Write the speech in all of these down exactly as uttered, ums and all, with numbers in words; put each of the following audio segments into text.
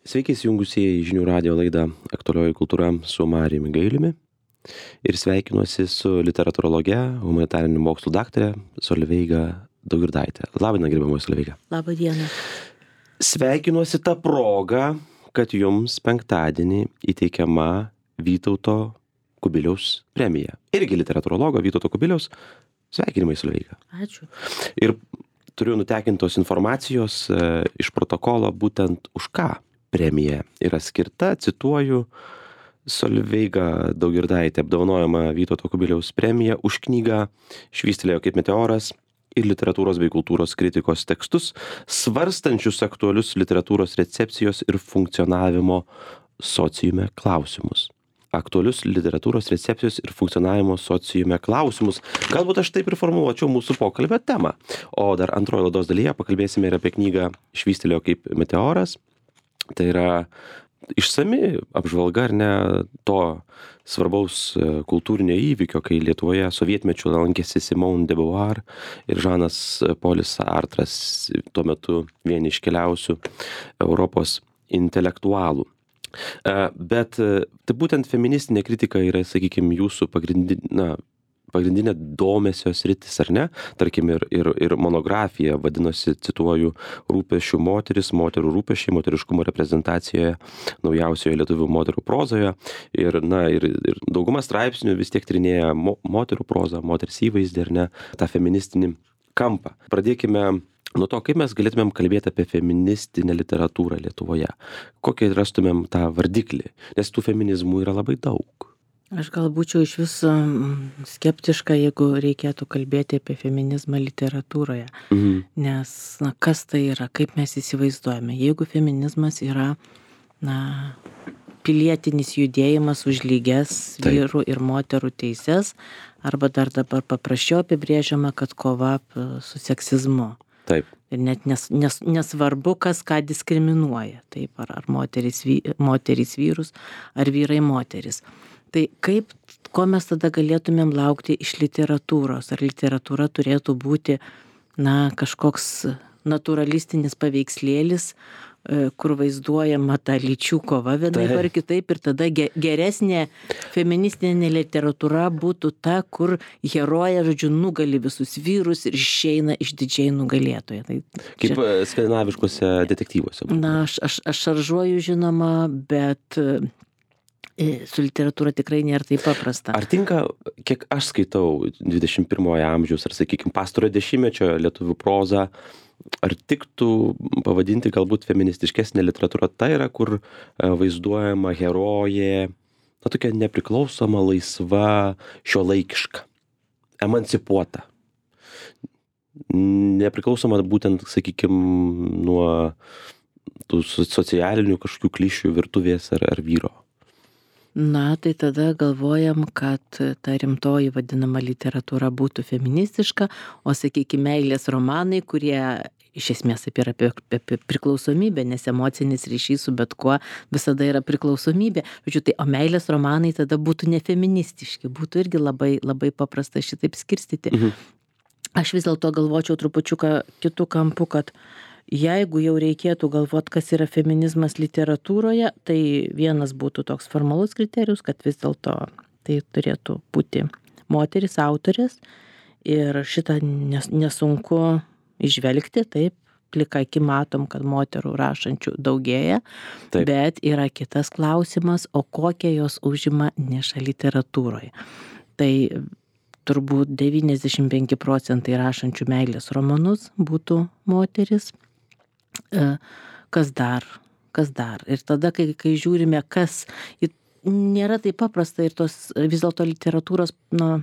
Sveiki įsijungusieji į žinių radijo laidą Aktualioji kultūra su Marijumi Gailiumi. Ir sveikinuosi su literatūrologe, humanitarinių mokslų daktare Solveiga Daugirdaite. Labą dieną, gerbiamoji Solveiga. Labą dieną. Sveikinuosi tą progą, kad jums penktadienį įteikiama Vytauto Kubiliaus premija. Irgi literatūrologo Vytauto Kubiliaus. Sveikinimai, Solveiga. Ačiū. Ir turiu nutekintos informacijos e, iš protokolo būtent už ką premija yra skirta, cituoju, Solveiga Daugirdaitė apdovanojama Vytauto Kubiliaus premija už knygą Švystelėjo kaip meteoras ir literatūros bei kultūros kritikos tekstus, svarstančius aktualius literatūros recepcijos ir funkcionavimo sociume klausimus. Aktualius literatūros recepcijos ir funkcionavimo sociume klausimus. Galbūt aš taip ir formuluočiau mūsų pokalbio temą. O dar antrojo laidos dalyje pakalbėsime ir apie knygą Švystelėjo kaip meteoras. Tai yra išsami apžvalga, ar ne, to svarbaus kultūrinio įvykio, kai Lietuvoje sovietmečiu lankėsi Simone de Beauvoir ir Žanas Polis Sartras, tuo metu vieni iškeliausių Europos intelektualų. Bet tai būtent feministinė kritika yra, sakykime, jūsų pagrindinė, na, pagrindinė domesio sritis, ar ne? Tarkim, ir, ir, ir monografija vadinosi, cituoju, Rūpesčių moteris, moterų rūpesčiai, moteriškumo reprezentacijoje naujausioje lietuvių moterų prozoje. Ir, na, ir, ir dauguma straipsnių vis tiek tyrinėja mo, moterų prozą, moters įvaizdį, ar ne, tą feministinį kampą. Pradėkime nuo to, kaip mes galėtumėm kalbėti apie feministinę literatūrą Lietuvoje. Kokį rastumėm tą vardiklį, nes tų feminizmų yra labai daug. Aš gal būčiau iš viso skeptiška, jeigu reikėtų kalbėti apie feminizmą literatūroje. Mhm. Nes, na, kas tai yra, kaip mes įsivaizduojame. Jeigu feminizmas yra, na, pilietinis judėjimas už lygias vyrų ir moterų teises, arba dar dabar paprasčiau apibrėžiama, kad kova su seksizmu. Taip. Ir net nes, nes, nesvarbu, kas ką diskriminuoja. Taip, ar, ar moteris, vy, moteris vyrus, ar vyrai moteris. Tai kaip, ko mes tada galėtumėm laukti iš literatūros? Ar literatūra turėtų būti, na, kažkoks naturalistinis paveikslėlis, kur vaizduojama ta lyčių kova vienaip ar kitaip, ir tada geresnė feministinė literatūra būtų ta, kur herojė, žodžiu, nugali visus vyrus ir išeina išdidžiai nugalėtoje. Tai kaip čia skandinaviškuose detektyvuose. Na, aš, aš, aš šaržuoju, žinoma, bet su literatūra tikrai nėra taip paprasta. Ar tinka, kiek aš skaitau dvidešimt pirmojo amžiaus, ar, sakykime, pastarojo dešimtmečio lietuvių prozą, ar tiktų pavadinti galbūt feministiškesnė literatūra, tai yra, kur vaizduojama herojė, na, tokia nepriklausoma, laisva, šiuolaikiška, emancipuota. Nepriklausoma būtent, sakykime, nuo tų socialinių kažkokių klišių virtuvės ar, ar vyro. Na, tai tada galvojam, kad ta rimtoji vadinama literatūra būtų feministiška, o, sakykime, meilės romanai, kurie iš esmės yra apie, apie priklausomybę, nes emocinis ryšys su bet kuo visada yra priklausomybė. Žodžiu, tai, o meilės romanai tada būtų nefeministiški, būtų irgi labai, labai paprasta šitaip skirstyti. Mhm. Aš vis dėlto galvočiau trupučiuką kitų kampų, kad jeigu jau reikėtų galvoti, kas yra feminizmas literatūroje, tai vienas būtų toks formalus kriterijus, kad vis dėlto tai turėtų būti moteris autorės ir šitą nes, nesunku išvelgti, taip, plika aki matom, kad moterų rašančių daugėja, taip. Bet yra kitas klausimas, o kokią jos užima nišą literatūroje. Tai turbūt devyniasdešimt penki procentai rašančių meilės romanus būtų moteris. Kas dar, kas dar. Ir tada, kai, kai žiūrime, kas, nėra taip paprasta ir tos vis dėlto literatūros, na,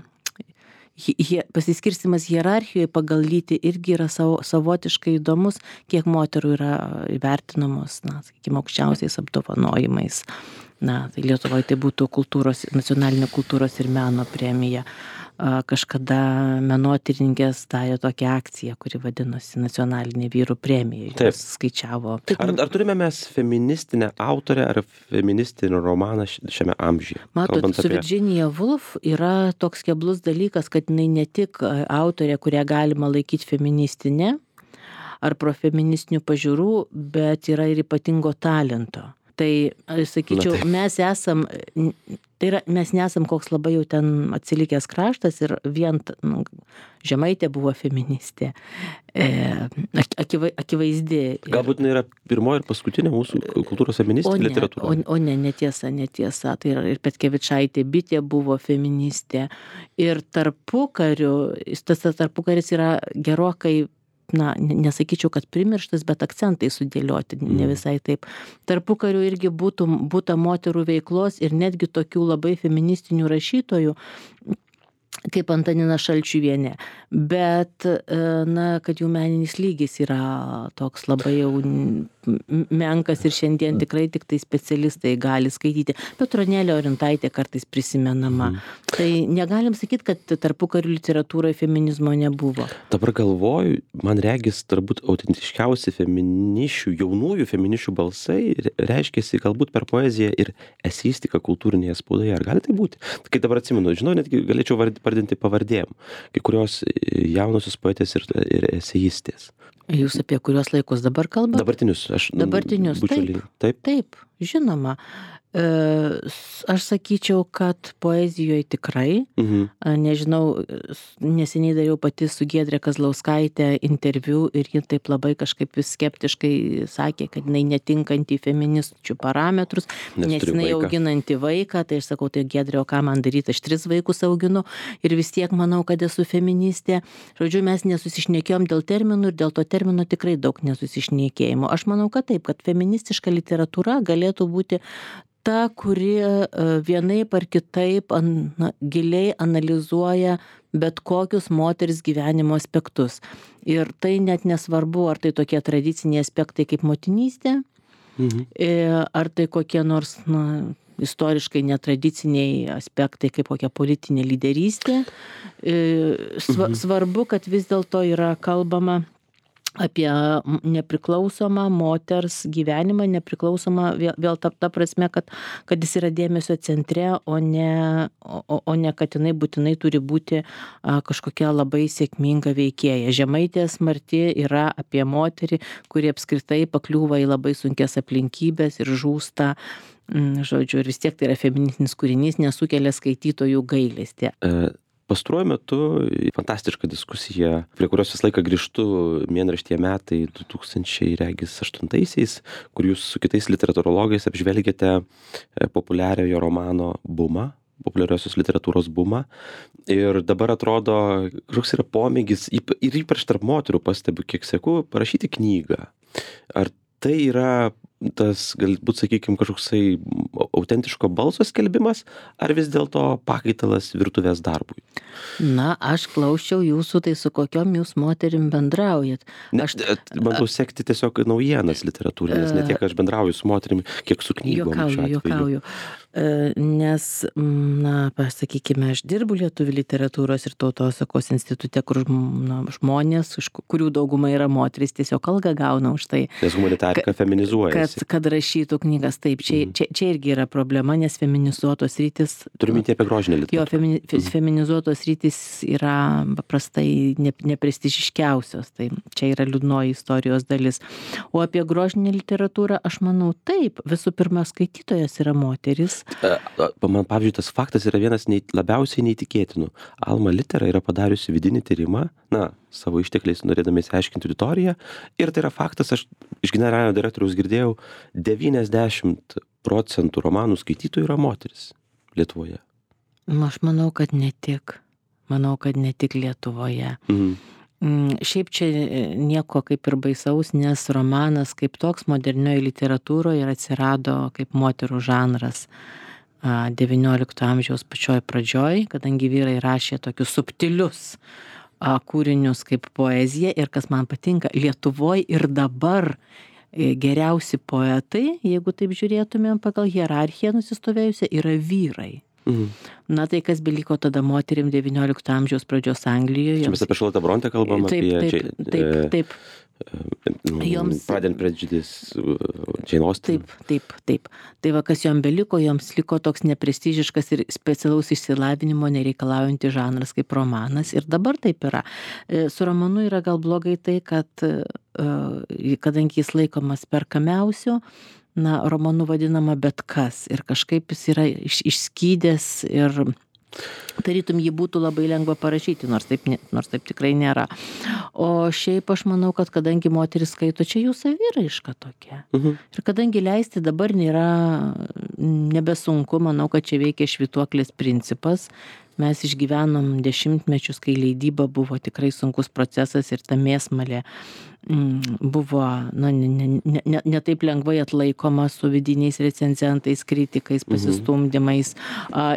Hie, pasiskirstimas hierarchijoje pagal lytį irgi yra savo, savotiškai įdomus, kiek moterų yra įvertinamos, na, sakykime, aukščiausiais apdovanojimais. Na, tai Lietuvoje tai būtų kultūros, nacionalinė kultūros ir meno premija. Kažkada menotyrininkės darė tokią akciją, kuri vadinosi nacionalinė vyrų premija. Taip. Skaičiavo. Ar, ar turime mes feministinę autorę ar feministinį romaną šiame amžiuje? Matot, su apie... Virginia Woolf yra toks keblus dalykas, kad jinai ne tik autorė, kurią galima laikyti feministinė, ar profeministinių pažiūrų, bet yra ir ypatingo talento. Tai, aš sakyčiau, mes esam, tai yra, mes nesam koks labai jau ten atsilikęs kraštas ir vien, nu, Žemaitė buvo feministė, e, akivai, akivaizdi. Galbūt jinai yra pirmoji ir paskutinė mūsų kultūros feministė literatūra. O, o ne, netiesa, netiesa. Tai yra ir Petkevičaitė Bitė buvo feministė. Ir tarpukariu, tas tarpukaris yra gerokai, na, nesakyčiau, kad primirštas, bet akcentai sudėlioti, ne visai taip. Tarpukariu irgi būtų, būta moterų veiklos ir netgi tokių labai feministinių rašytojų, kaip Antanina Šalčiuvienė. Bet, na, kad jų meninis lygis yra toks labai jau menkas ir šiandien tikrai tik tai specialistai gali skaityti. Petronėlė Orintaitė kartais prisimenama. Mm. Tai negalim sakyti, kad tarpukarių literatūroje feminizmo nebuvo. Dabar galvoju, man regis, turbūt autentiškiausi feminišių, jaunųjų feminišių balsai reiškėsi galbūt per poeziją ir eseistiką kultūrinėje spaudoje. Ar gali tai būti? Kai dabar atsimenu, žinau, netgi galėčiau vardinti pavardėm. Kai kurios jaunosios poetės ir, ir eseistės. Jūs apie kurios laikus dabar kalbate? Dabartinius. Aš, Dabartinius, taip, taip. Taip, žinoma. Aš sakyčiau, kad poezijoje tikrai, mhm. nežinau, neseniai dariau pati su Giedre Kazlauskaitė interviu ir ji taip labai kažkaip vis skeptiškai sakė, kad jinai netinkanti feministių parametrus, nes, nes jinai vaiką. auginanti vaiką, tai aš sakau, tai Giedre, o ką man daryti, aš tris vaikus auginu ir vis tiek manau, kad esu feministė. Žodžiu, mes nesusišnekėjom dėl terminų ir dėl to termino tikrai daug nesusišnekėjimo. Aš manau, kad taip, kad feministiška literatūra galėtų būti ta, kuri vienaip ar kitaip na, giliai analizuoja bet kokius moters gyvenimo aspektus. Ir tai net nesvarbu, ar tai tokie tradiciniai aspektai kaip motinystė, mhm. ar tai kokie nors na, istoriškai netradiciniai aspektai kaip kokia politinė lyderystė. Sva, mhm. Svarbu, kad vis dėlto yra kalbama apie nepriklausomą moters gyvenimą, nepriklausomą vėl, vėl ta, ta prasme, kad, kad jis yra dėmesio centre, o ne, o, o ne kad jinai būtinai turi būti a, kažkokia labai sėkminga veikėja. Žemaitės Marti yra apie moterį, kuri apskritai pakliūva į labai sunkias aplinkybės ir žūsta. Žodžiu, ir vis tiek tai yra feministinis kūrinys, nesukelia skaitytojų gailestį. E... Pastaruoju metu fantastiška diskusija, prie kurios visą laiką grįžtu mėnraštyje metai du tūkstančiai aštuntaisiais, kur jūs su kitais literatūrologais apžvelgėte populiariojo romano bumą, populiariosios literatūros bumą. Ir dabar atrodo, koks yra pomėgis, ir ypač tarp moterų pastebiu, kiek seku, parašyti knygą. Ar tai yra tas, galbūt, sakykime, kažkoksai autentiško balso skelbimas, ar vis dėlto pakaitalas virtuvės darbui? Na, aš klausčiau jūsų, tai su kokiom jūs moterim bendraujat. Aš bandau sekti tiesiog naujienas literatūrinės, ne tiek aš bendrauju su moterim, kiek su knygom. Jokauju, jokauju. Nes, na, pasakykime, aš dirbu Lietuvių literatūros ir tautosakos institute, kur na, žmonės, kurių dauguma yra moterys, tiesiog algą gauna už tai. Nes humanitarika feminizuojasi. Kad, kad rašytų knygas. Taip, čia, čia, čia irgi yra problema, nes feminizuotos rytis... Turiu mintį apie grožinę literatūrą. Jo, femini, mm. feminizuotos rytis yra paprastai ne, neprestižiškiausios. Tai čia yra liūdnoji istorijos dalis. O apie grožinę literatūrą, aš manau, taip, visų pirma, skaitytojas yra moteris. Man, pavyzdžiui, tas faktas yra vienas nei, labiausiai neįtikėtinų. Alma Litera yra padariusi vidinį tyrimą, na, savo ištekliais norėdami įsiaiškinti auditoriją. Ir tai yra faktas, aš iš generalinio direktoriaus girdėjau, devyniasdešimt procentų romanų skaitytojų yra moteris Lietuvoje. Aš manau, kad ne tik. Manau, kad ne tik Lietuvoje. Mhm. Šiaip čia nieko kaip ir baisaus, nes romanas kaip toks modernioje literatūroje ir atsirado kaip moterų žanras devyniolikto amžiaus pačioj pradžioj, kadangi vyrai rašė tokius subtilius kūrinius kaip poezija ir kas man patinka, Lietuvoje ir dabar geriausi poetai, jeigu taip žiūrėtumėm pagal hierarchiją nusistovėjusią, yra vyrai. Mhm. Na tai kas beliko tada moterim devyniolikto amžiaus pradžios Anglijoje. Čia mes apie Charlotte Brontë kalbam, taip, apie... Taip, taip, taip. Joms... Pride and Prejudice, Jane Austen. Taip, taip, taip. Tai va, kas jom beliko, joms liko toks neprestižiškas ir specialaus išsilavinimo nereikalaujantis žanras kaip romanas. Ir dabar taip yra. Su romanu yra gal blogai tai, kad kadangi jis laikomas perkamiausiu, na, romanu vadinama bet kas. Ir kažkaip jis yra iš, išskydęs ir tarytum jį būtų labai lengva parašyti, nors taip, nors taip tikrai nėra. O šiaip aš manau, kad kadangi moteris skaito, čia jų saviraiška tokia. Mhm. Ir kadangi leisti dabar nėra nebesunku, manau, kad čia veikia švytuoklės principas. Mes išgyvenom dešimtmečius, kai leidyba buvo tikrai sunkus procesas ir ta mėsmalė buvo na, ne, ne, ne, ne taip lengvai atlaikoma su vidiniais recenzentais, kritikais, pasistumdymais,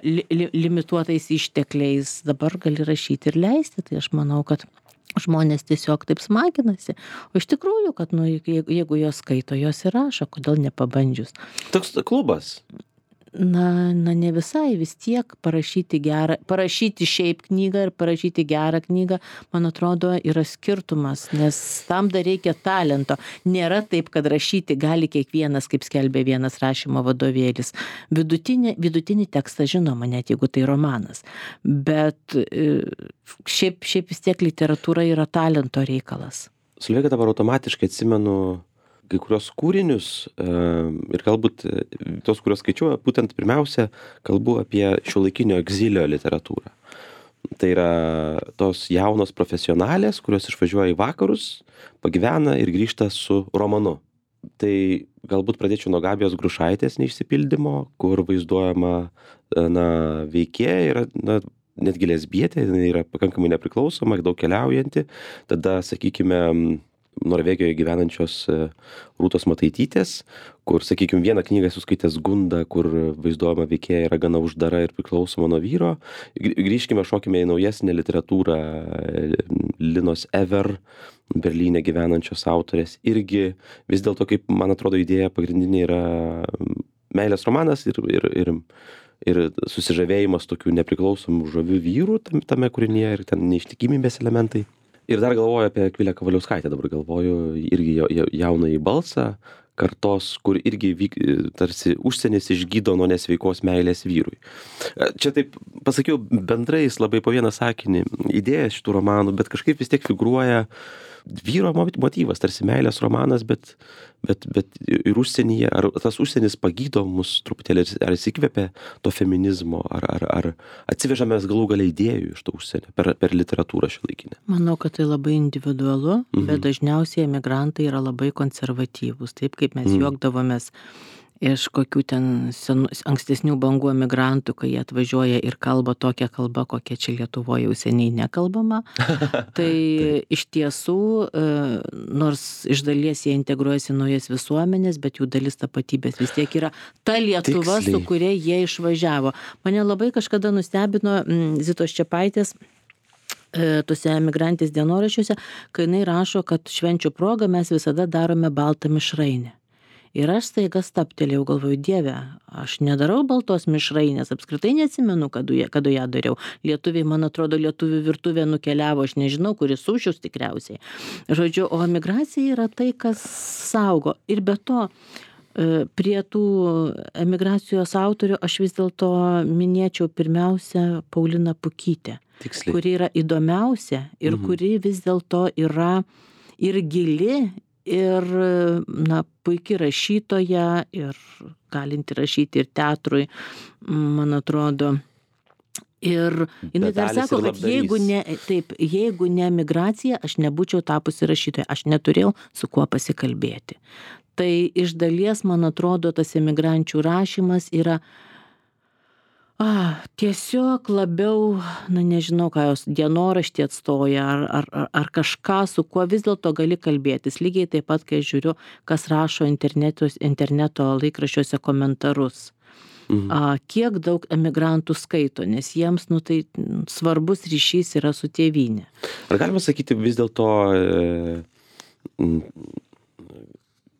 li, li, limituotais ištekliais. Dabar gali rašyti ir leisti, tai aš manau, kad žmonės tiesiog taip smaginasi. O iš tikrųjų, kad nu, jeigu, jeigu jos skaito, jos ir rašo, kodėl nepabandžius. Toks klubas. Na, na, ne visai, vis tiek parašyti gerą, parašyti šiaip knygą ir parašyti gerą knygą, man atrodo, yra skirtumas, nes tam dar reikia talento. Nėra taip, kad rašyti gali kiekvienas, kaip skelbė vienas rašymo vadovėlis. Vidutinį, vidutinį tekstą žinoma, net jeigu tai romanas. Bet šiaip, šiaip vis tiek literatūra yra talento reikalas. Solveiga, dabar automatiškai atsimenu kai kurios kūrinius ir galbūt tos, kurios skaičiuoju, būtent pirmiausia kalbu apie šiuolaikinio egzilio literatūrą. Tai yra tos jaunos profesionalės, kurios išvažiuoja į vakarus, pagyvena ir grįžta su romanu. Tai galbūt pradėčiau nuo Gabijos Grušaitės neišsipildymo, kur vaizduojama na, veikėja yra na, netgi lesbietė, jinai yra pakankamai nepriklausoma, daug keliaujanti. Tada, sakykime, Norvegijoje gyvenančios Rūtos Mataitytės, kur, sakykime, vieną knygą suskaitęs Gunda, kur vaizduojama veikėja yra gana uždara ir priklausoma nuo vyro. Grįžkime, šokime į naujesnę literatūrą Linos Ever, Berlyne gyvenančios autorės. Irgi vis dėlto, kaip man atrodo, idėja pagrindinė yra meilės romanas ir, ir, ir, ir susižavėjimas tokių nepriklausomų žavių vyrų tame kūrinyje ir ten neištikimybės elementai. Ir dar galvoju apie Akvilę Kavaliauskaitę, dabar galvoju irgi jaunąjį balsą kartos, kur irgi vyk, tarsi užsienis išgydo nuo nesveikos meilės vyrui. Čia taip pasakiau bendrais labai po vieną sakinį idėją šitų romanų, bet kažkaip vis tiek figūruoja vyro motyvas, tarsi meilės romanas, bet, bet, bet ir užsienyje, ar tas užsienis pagydo mus truputėlį, ar įsikvėpia to feminizmo, ar, ar, ar atsivežame galų gale idėjų iš to užsienio per, per literatūrą šiuolaikinę. Manau, kad tai labai individualu, mhm. bet dažniausiai emigrantai yra labai konservatyvūs, taip kaip mes mhm. juokdavomės iš kokių ten senų, ankstesnių bangų emigrantų, kai jie atvažiuoja ir kalba tokią kalbą, kokia čia Lietuvoje jau seniai nekalbama. Tai iš tiesų, nors iš dalies jie integruojasi naujas visuomenės, bet jų dalis tapatybės vis tiek yra ta Lietuva, Tiksliai. Su kuria jie išvažiavo. Mane labai kažkada nustebino Zitos Čepaitės tuose emigrantės dienoraščiuose, kai jinai rašo, kad švenčių proga mes visada darome baltą mišrainę. Ir aš staiga staptelėjau, galvoju, Dieve, aš nedarau baltos mišrainės, apskritai neatsimenu, kada ją, kada ją dariau. Lietuviai, man atrodo, lietuvių virtuvė nukeliavo, aš nežinau, kuris sušius tikriausiai. Žodžiu, o emigracija yra tai, kas saugo. Ir be to, prie tų emigracijos autorių aš vis dėlto minėčiau pirmiausia Pauliną Pukytę, Tiksliai. Kuri yra įdomiausia ir mhm. kuri vis dėlto yra ir gili, ir, na, puikiai rašytoja, ir galinti rašyti ir teatrui, man atrodo. Ir jinai dar sako, kad jeigu ne, taip, jeigu ne emigracija, aš nebūčiau tapusi rašytoja, aš neturėjau su kuo pasikalbėti. Tai iš dalies, man atrodo, tas emigrančių rašymas yra A, tiesiog labiau, na nežinau, ką jos dienoraštį atstoja, ar, ar, ar kažką, su kuo vis dėlto gali kalbėtis. Lygiai taip pat, kai žiūriu, kas rašo interneto laikraščiuose komentarus. Mhm. A, kiek daug emigrantų skaito, nes jiems, nu, tai svarbus ryšys yra su tėvynė. Ar galima sakyti vis dėlto, e,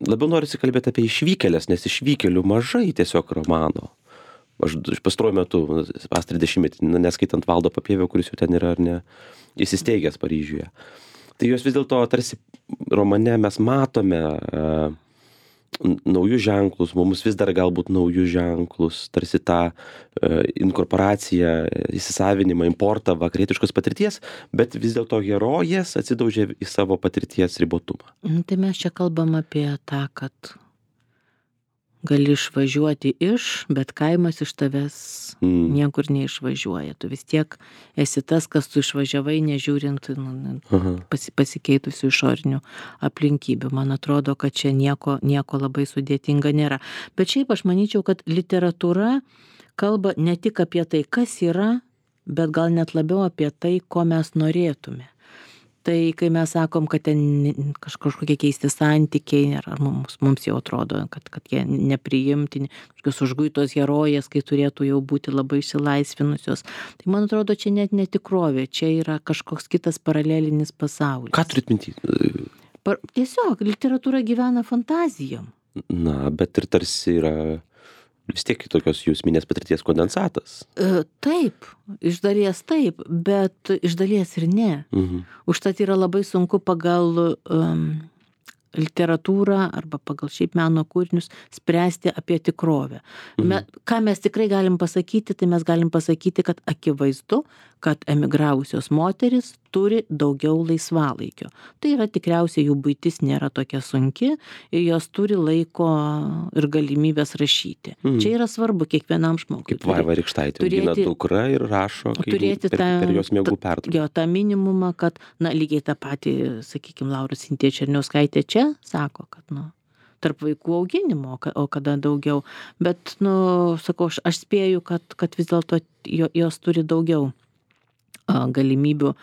labiau norisi kalbėti apie išvykėlės, nes išvykėlių mažai tiesiog romano. Aš pastaruoju metu, pastarąjį dešimtmetį, neskaitant Valdo Papievio, kuris jau ten yra ar ne, įsisteigęs Paryžiuje. Tai jos vis dėlto tarsi romane mes matome naujus ženklus, mums vis dar galbūt naujus ženklus, tarsi tą e, inkorporaciją, įsisavinimą, importą vakarietiškos patirties, bet vis dėlto herojės atsidaužė į savo patirties ribotumą. Tai mes čia kalbam apie tą, kad gali išvažiuoti iš, bet kaimas iš tavęs mm. niekur neišvažiuoja. Tu vis tiek esi tas, kas tu išvažiavai, nežiūrint nu, pasi, pasikeitusių išorinių aplinkybių. Man atrodo, kad čia nieko, nieko labai sudėtinga nėra. Bet šiaip aš manyčiau, kad literatūra kalba ne tik apie tai, kas yra, bet gal net labiau apie tai, ko mes norėtume. Tai kai mes sakom, kad ten kažkokie keisti santykiai, ar mums, mums jau atrodo, kad, kad jie nepriimtini, kažkokios užguitos herojės, kai turėtų jau būti labai išsilaisvinusios. Tai man atrodo, čia net netikrovė, čia yra kažkoks kitas paralelinis pasaulis. Ką turit minty? Par, tiesiog, literatūra gyvena fantazijom. Na, bet ir tarsi yra vis tiek tokios jūs minės patirties kondensatas. E, taip, iš dalies taip, bet iš dalies ir ne. Mhm. Užtat yra labai sunku pagal um, literatūrą arba pagal šiaip meno kūrinius spręsti apie tikrovę. Mhm. Me, ką mes tikrai galim pasakyti, tai mes galim pasakyti, kad akivaizdu, kad emigravusios moteris turi daugiau laisvalaikio. Tai yra tikriausiai jų buitis nėra tokia sunki ir jos turi laiko ir galimybės rašyti. Mhm. Čia yra svarbu kiekvienam žmogui. Kaip Vaiva Rykštaitė augina dukrą ir rašo turėti per, tą, per jos miegų pertrauką. Jo, tą minimumą, kad, na, lygiai tą patį, sakykime, Laura Sintija Černiauskaitė čia sako, kad, nu, tarp vaikų auginimo, o kada daugiau. Bet, nu, sakau, aš, aš spėju, kad, kad vis dėlto jos turi daugiau galimybių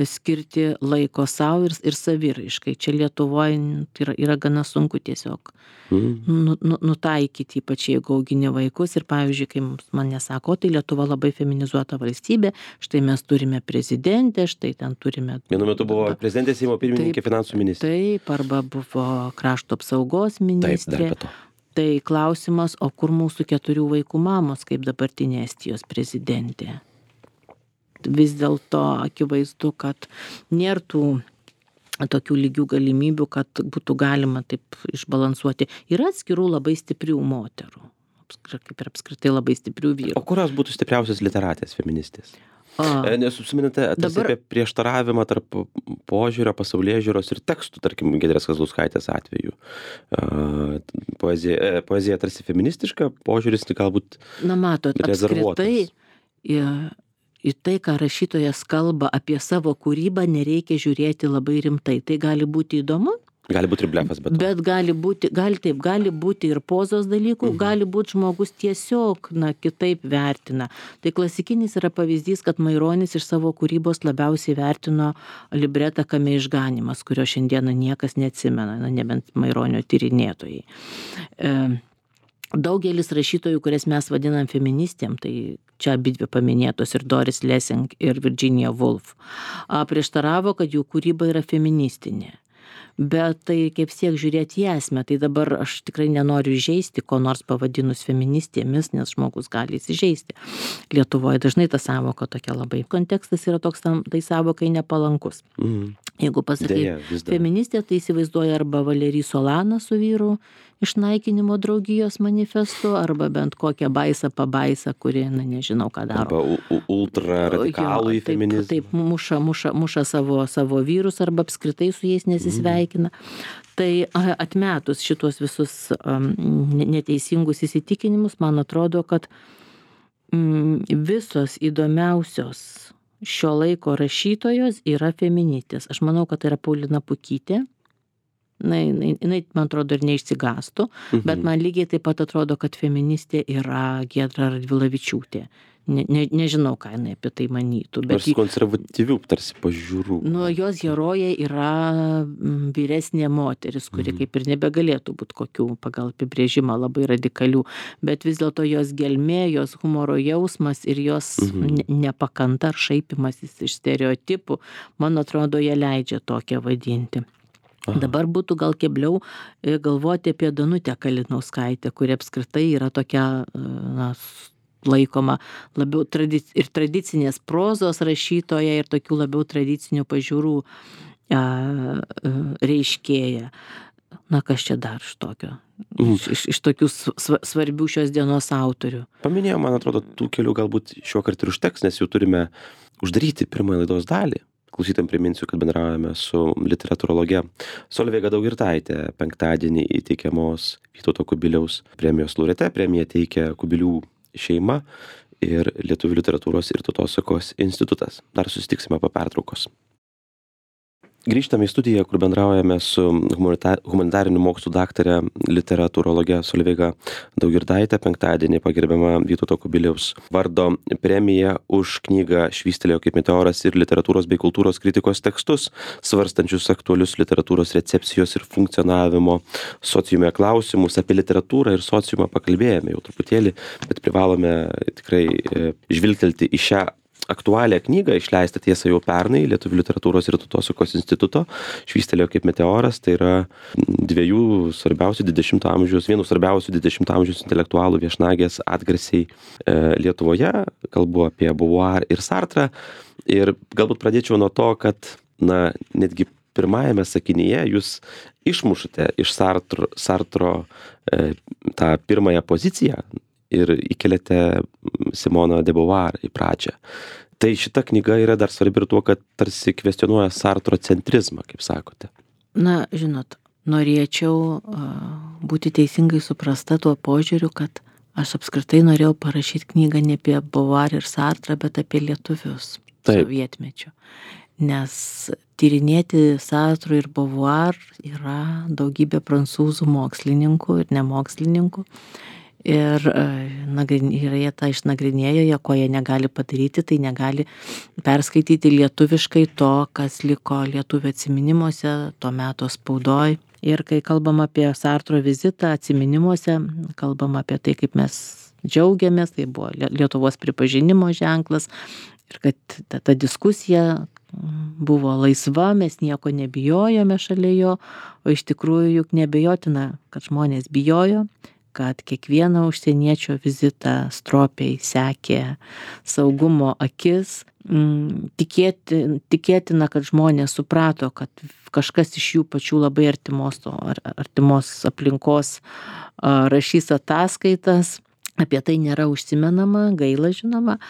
skirti laiko savo ir, ir saviraiškai. Čia Lietuvoje yra, yra gana sunku tiesiog mm. nu, nu, nutaikyti, ypač jeigu augini vaikus. Ir pavyzdžiui, kai man nesako, tai Lietuva labai feminizuota valstybė, štai mes turime prezidentę, štai ten turime... Vienu metu buvo prezidentė, Seimo pirmininkė, finansų ministrė. Taip, arba buvo krašto apsaugos ministrė. Taip, dar be to. Tai klausimas, o kur mūsų keturių vaikų mamos, kaip dabartinė Estijos prezidentė? Vis dėlto akivaizdu, kad nėra tų tokių lygių galimybių, kad būtų galima taip išbalansuoti. Yra atskirų labai stiprių moterų, kaip ir apskritai labai stiprių vyrų. O kurios būtų stipriausias literatės, feministės? A, Nes užsiminėte dabar... apie prieštaravimą tarp požiūrio, pasaulėžiūros ir tekstų, tarkim, Giedrės Kazlauskaitės atveju. Poezija, poezija tarsi feministiška, požiūris galbūt na, matot, rezervuotas. Apskritai, į tai, ką rašytojas kalba apie savo kūrybą, nereikia žiūrėti labai rimtai. Tai gali būti įdomu. Gali būti ir blefas, bet... Bet gali būti, gali taip, gali būti ir pozos dalykų, mhm. gali būti žmogus tiesiog, na, kitaip vertina. Tai klasikinis yra pavyzdys, kad Maironis iš savo kūrybos labiausiai vertino libretą Kame išganimas, kurio šiandieną niekas neatsimena, na, nebent Maironio tyrinėtojai. E, Daugelis rašytojų, kurias mes vadinam feministėm, tai čia abidvi paminėtos ir Doris Lessing ir Virginia Woolf, prieštaravo, kad jų kūryba yra feministinė. Bet tai kaip siek žiūrėti į esmę, tai dabar aš tikrai nenoriu įžeisti, ko nors pavadinus feministėmis, nes žmogus gali įsižeisti. Lietuvoje dažnai ta sąvoka tokia labai. Kontekstas yra toks, tai sąvokai nepalankus. Mm. Jeigu pasakai Deja, feministė, tai įsivaizduoja arba Valerį Solaną su vyru išnaikinimo draugijos manifestu, arba bent kokią baisą pabaisą, kuri, na, nežinau, ką daro. Arba ultra radikalų į feminizmą. Taip, taip muša, muša, muša savo, savo vyrus, arba apskritai su jais nesisveikina. Mm. Tai atmetus šitos visus um, neteisingus įsitikinimus, man atrodo, kad mm, visos įdomiausios šio laiko rašytojos yra feministės. Aš manau, kad tai yra Paulina Pukytė. Na, jinai, jinai, man atrodo, ir neišsigastų, mhm. bet man lygiai taip pat atrodo, kad feministė yra Giedra Radvilavičiūtė. Ne, ne, nežinau, ką jinai apie tai manytų. Bet Nors konservatyvių tarsi pažiūrų. Nu, jos herojai yra vyresnė moteris, kuri mhm. kaip ir nebegalėtų būti kokių pagal apibrėžimą labai radikalių, bet vis dėlto jos gelmė, jos humoro jausmas ir jos mhm. ne, nepakanta ar šaipimasis iš stereotipų, man atrodo, jie leidžia tokią vadinti. Aha. Dabar būtų gal kebliau galvoti apie Danutę Kalinauskaitę, kuri apskritai yra tokia, na, laikoma labiau tradic- ir tradicinės prozos rašytoja ir tokių labiau tradicinių pažiūrų a, a, reiškėja. Na, kas čia dar iš tokio? Mhm. Iš, iš, iš tokių sva- svarbių šios dienos autorių. Paminėjau, man atrodo, tų kelių galbūt šiuo kartu ir užteks, nes jau turime uždaryti pirmąją laidos dalį. Klausytam priminsiu, kad bendraujame su literatūrologe Solveiga Daugirdaite. Penktadienį įteikiamos Vytauto Kubiliaus premijos laureate. Premiją teikia Kubilių šeima ir Lietuvių literatūros ir tautosakos institutas. Dar susitiksime po pertraukos. Grįžtame į studiją, kur bendraujame su humanita- humanitarinių mokslų daktare literatūrologe Solveiga Daugirdaite. Penktadienį pagerbiama Vytauto Kubiliaus vardo premija už knygą Švystelėjo kaip meteoras ir literatūros bei kultūros kritikos tekstus, svarstančius aktualius literatūros recepcijos ir funkcionavimo sociume klausimus. Apie literatūrą ir sociumą pakalbėjome jau truputėlį, bet privalome tikrai e, žvilgtelti į šią aktualią knygą, išleistą tiesa jau pernai Lietuvių literatūros ir tautosakos instituto Švystelėjo kaip meteoras. Tai yra dviejų svarbiausių dvidešimto amžiaus, vienų svarbiausių dvidešimto amžiaus intelektualų viešnagės atgarsiai e, Lietuvoje. Kalbu apie Beauvoir ir Sartrą. Ir galbūt pradėčiau nuo to, kad na, netgi pirmajame sakinyje jūs išmušate iš Sartro, Sartro e, tą pirmąją poziciją ir įkeliate Simoną de Beauvoir į pradžią. Tai šita knyga yra dar svarbi ir tuo, kad tarsi kvestionuoja Sartro centrizmą, kaip sakote. Na, žinot, norėčiau uh, būti teisingai suprasta tuo požiūriu, kad aš apskritai norėjau parašyti knygą ne apie Beauvoir ir Sartrą, bet apie lietuvius sovietmečiu. Nes tyrinėti Sartrų ir Beauvoir yra daugybė prancūzų mokslininkų ir nemokslininkų. Ir jie tą išnagrinėjo, jie ko jie negali padaryti, tai negali perskaityti lietuviškai to, kas liko lietuvių atsiminimuose, to meto spaudoj. Ir kai kalbam apie Sartro vizitą atsiminimuose, kalbam apie tai, kaip mes džiaugiamės, tai buvo Lietuvos pripažinimo ženklas ir kad ta, ta diskusija buvo laisva, mes nieko nebijojome šalia jo, o iš tikrųjų juk nebejotina, kad žmonės bijojo, kad kiekvieno užsieniečio vizitą stropiai sekė saugumo akis. Tikėti, tikėtina, kad žmonės suprato, kad kažkas iš jų pačių labai artimos, artimos aplinkos rašys ataskaitas. Apie tai nėra užsimenama, gaila žinoma,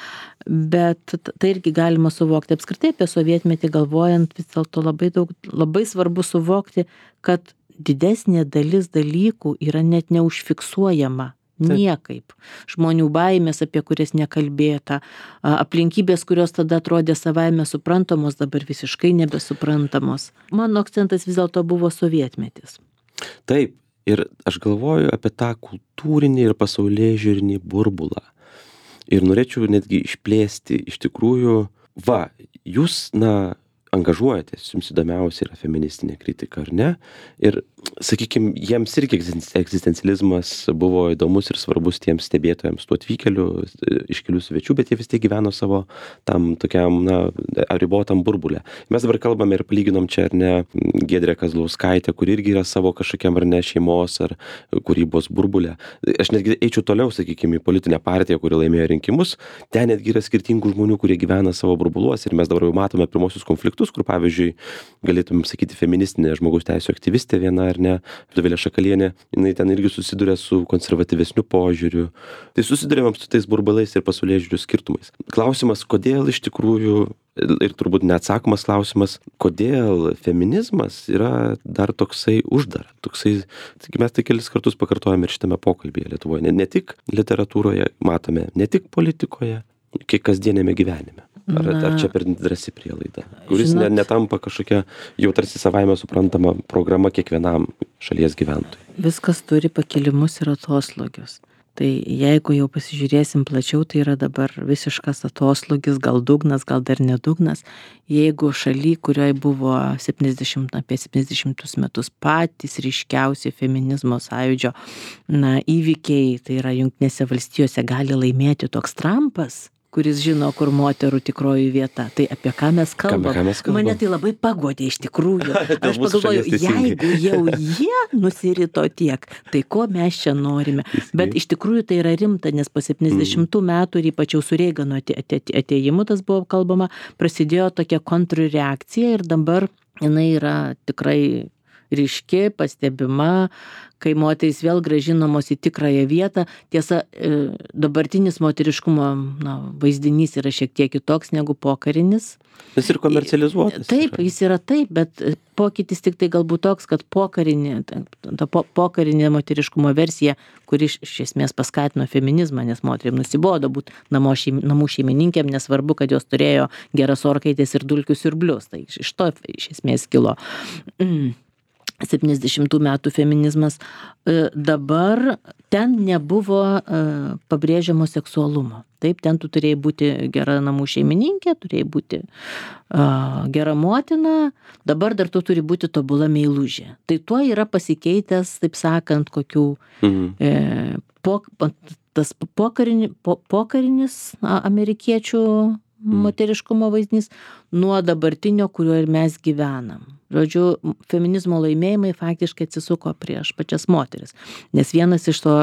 bet tai irgi galima suvokti. Apskritai apie sovietmetį galvojant, vis dėlto labai daug, labai svarbu suvokti, kad didesnė dalis dalykų yra net neužfiksuojama niekaip. Žmonių baimės, apie kurias nekalbėta, aplinkybės, kurios tada atrodė savaime suprantamos, dabar visiškai nebesuprantamos. Mano akcentas vis dėlto buvo sovietmetis. Taip, ir aš galvoju apie tą kultūrinį ir pasaulėžiūrinį burbulą. Ir norėčiau netgi išplėsti iš tikrųjų, va, jūs, na, angažuojatės, jums įdomiausia yra feministinė kritika, ar ne? Ir, sakykime, jiems irgi egzistencializmas buvo įdomus ir svarbus tiems stebėtojams, tų atvykėlių, iškelių svečių, bet jie vis tiek gyveno savo tam tokiam, na, ribotam burbulę. Mes dabar kalbame ir palyginom čia, ar ne, Giedrę Kazlauskaitę, kur irgi yra savo kažkokiam, ar ne, šeimos ar kūrybos burbulė. Aš netgi eičiau toliau, sakykime, į politinę partiją, kuri laimėjo rinkimus. Ten netgi yra skirtingų žmonių, kurie gyvena savo burbuluose ir mes dabar jau matome pirmosius konfliktus, kur, pavyzdžiui, galėtumėm sakyti feministinė žmogaus teisų aktyvistė viena, ar ne, Dovilė Šakalienė, jinai ten irgi susiduria su konservatyvesniu požiūriu. Tai susiduriam su tais burbulais ir pasaulėžiūrių skirtumais. Klausimas, kodėl iš tikrųjų, ir turbūt neatsakomas klausimas, kodėl feminizmas yra dar toksai uždara. Toksai, taigi mes tai kelis kartus pakartojame ir šitame pokalbyje Lietuvoje. Ne, ne tik literatūroje, matome, ne tik politikoje, kiek kasdienėme gyvenime. Ar, ar čia per drąsi prielaida, kuris ne, netampa kažkokia jau tarsi savaime suprantama programa kiekvienam šalies gyventojui? Viskas turi pakilimus ir atoslūgius. Tai jeigu jau pasižiūrėsim plačiau, tai yra dabar visiškas atoslūgis, gal dugnas, gal dar nedugnas. Jeigu šaly, kurioje buvo septyniasdešimt, apie septyniasdešimtus metus patys ryškiausi feminizmo sąjūdžio na, įvykiai, tai yra Jungtinėse valstijose gali laimėti toks Trumpas, kuris žino, kur moterų tikroji vieta. Tai apie ką mes kalbam? Ką mes kalbam? Mane tai labai pagodė iš tikrųjų. Aš pagalvoju, jeigu jau jie nusirito tiek, tai ko mes čia norime? Bet iš tikrųjų tai yra rimta, nes po septyniasdešimtų metų ir ypač jau su Reigano atėjimu, tas buvo kalbama, prasidėjo tokia kontrreakcija ir dabar jinai yra tikrai ryški, pastebima, kai moterys vėl grąžinamos į tikrąją vietą. Tiesa, dabartinis moteriškumo na, vaizdinys yra šiek tiek kitoks negu pokarinis. Jis ir komercializuotas. Taip, yra. Jis yra taip, bet pokytis tik tai galbūt toks, kad pokarinė, ta po, pokarinė moteriškumo versija, kuri iš, iš esmės paskatino feminizmą, nes moteriam nusibodo būti šeim, namų šeimininkėm, nesvarbu, kad jos turėjo geras orkaitės ir dulkių siurblius. Tai iš to iš esmės kilo mm. septyniasdešimtų metų feminizmas. Dabar ten nebuvo pabrėžiamo seksualumo. Taip, ten tu turėjai būti gera namų šeimininkė, turėjai būti uh, gera motina, dabar dar tu turi būti tobula meilužė. Tai tuo yra pasikeitęs, taip sakant, kokių mhm. e, po, tas pokarini, po, pokarinis na, amerikiečių moteriškumo vaizdinys nuo dabartinio, kuriuo ir mes gyvenam. Žodžiu, feminizmo laimėjimai faktiškai atsisuko prieš pačias moteris. Nes vienas iš to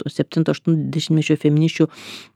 septinto aštunto dešimtmečio feminisčių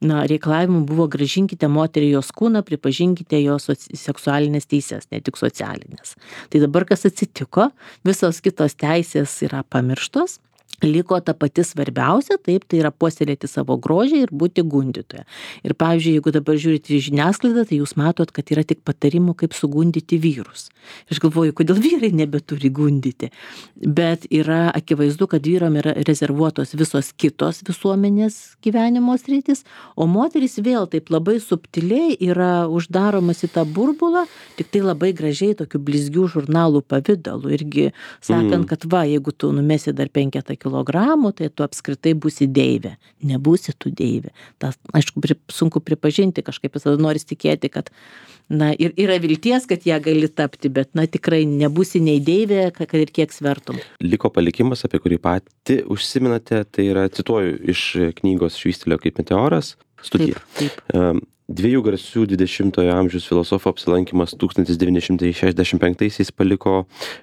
na, reikalavimų buvo grąžinkite moterį jos kūną, pripažinkite jos seksualinės teisės, ne tik socialinės. Tai dabar kas atsitiko, visos kitos teisės yra pamirštos. Liko ta pati svarbiausia, taip, tai yra puoselėti savo grožį ir būti gundytoja. Ir pavyzdžiui, jeigu dabar žiūrite į žiniasklaidą, tai jūs matot, kad yra tik patarimų, kaip sugundyti vyrus. Aš galvoju, kodėl vyrai nebeturi gundyti. Bet yra akivaizdu, kad vyram yra rezervuotos visos kitos visuomenės gyvenimo sritis, o moteris vėl taip labai subtiliai yra uždaromas į tą burbulą, tik tai labai gražiai tokių blizgių žurnalų pavidalu. Irgi sakant, mm. kad va, jeigu tu numesi dar penketą kilogramų, tai tu apskritai būsi deivė. Nebūsi tu deivė. Tas, aišku, pri, sunku pripažinti, kažkaip visada noris tikėti, kad na, ir, yra vilties, kad ją gali tapti, bet na, tikrai nebūsi nei deivė, kad ir kiek svertum. Liko palikimas, apie kurį pati užsiminate, tai yra, cituoju, iš knygos Švystelėjo kaip meteoras, studija. Taip, taip. Dviejų garsių dvidešimtojo amžiaus filosofų apsilankymas tūkstantis devyni šimtai šešiasdešimt penktaisiais paliko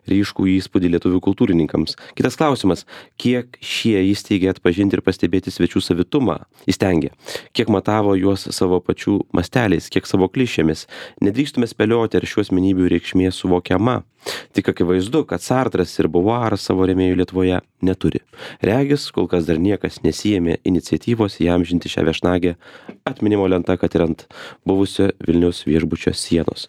ryškų įspūdį lietuvių kultūrininkams. Kitas klausimas, kiek šie įsteigė atpažinti ir pastebėti svečių savitumą, įstengė, kiek matavo juos savo pačių masteliais, kiek savo klišėmis. Nedrįstume spėlioti, ar šių asmenybių reikšmė suvokiama. Tik akivaizdu, kad Sartras ir Beauvoir savo rėmėjų Lietuvoje neturi. Regis, kol kas dar niekas nesijėmė iniciatyvos įamžinti šią viešnagę atminimo lenta, kad ir ant buvusio Vilniaus viešbučio sienos.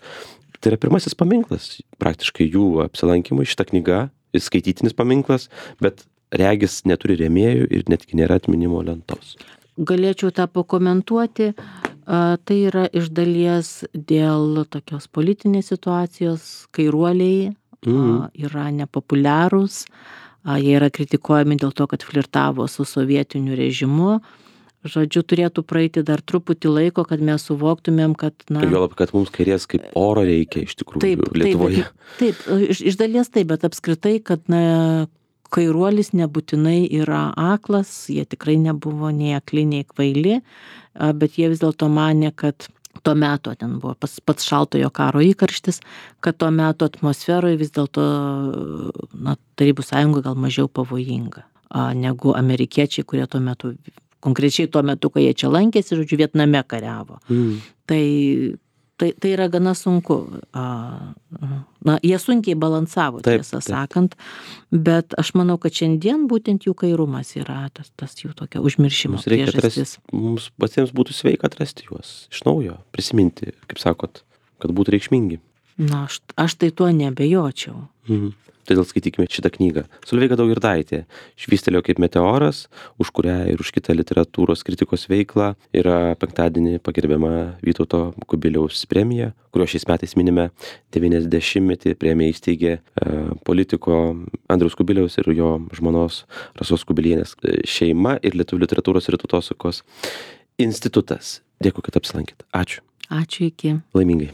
Tai yra pirmasis paminklas, praktiškai jų apsilankymui, šita knyga, skaitytinis paminklas, bet regis neturi rėmėjų ir netgi nėra atminimo lentos. Galėčiau tą pakomentuoti. Tai yra iš dalies dėl tokios politinės situacijos, kairuoliai mm. yra nepopuliarūs, jie yra kritikuojami dėl to, kad flirtavo su sovietiniu režimu. Žodžiu, turėtų praeiti dar truputį laiko, kad mes suvoktumėm, kad... Na, Juolab, kad mums kairės kaip oro reikia iš tikrųjų taip, Lietuvoje. Taip, taip iš, iš dalies taip, bet apskritai, kad na, kairuolis nebūtinai yra aklas, jie tikrai nebuvo nei akli, nei kvaili, bet jie vis dėlto manė, kad tuo metu, ten buvo pats, pats šaltojo karo įkarštis, kad tuo metu atmosferoje vis dėlto na, Tarybų sąjunga gal mažiau pavojinga negu amerikiečiai, kurie tuo metu, konkrečiai tuo metu, kai jie čia lankėsi, žodžiu, Vietname kariavo. Mm. Tai Tai, tai yra gana sunku. Na, jie sunkiai balansavo, taip, tiesą taip. sakant, bet aš manau, kad šiandien būtent jų kairumas yra tas, tas jų tokia užmiršimo mums reikia priežastis. Atrasti, mums patiems būtų sveika atrasti juos iš naujo, prisiminti, kaip sakot, kad būtų reikšmingi. Na, aš, aš tai tuo nebejočiau. Mhm. Todėl skaitykime šitą knygą. Solveiga Daugirdaitė, Švystelėjo kaip meteoras, už kurią ir už kitą literatūros kritikos veiklą yra penktadienį pagerbiama Vytauto Kubiliaus premija, kurio šiais metais minime devyniasdešimtmetį. Premiją įsteigė e, politiko Andriaus Kubiliaus ir jo žmonos Rasos Kubilienės šeima ir Lietuvių literatūros ir tautosakos institutas. Dėkui, kad apsilankėt. Ačiū. Ačiū, iki. Laimingai.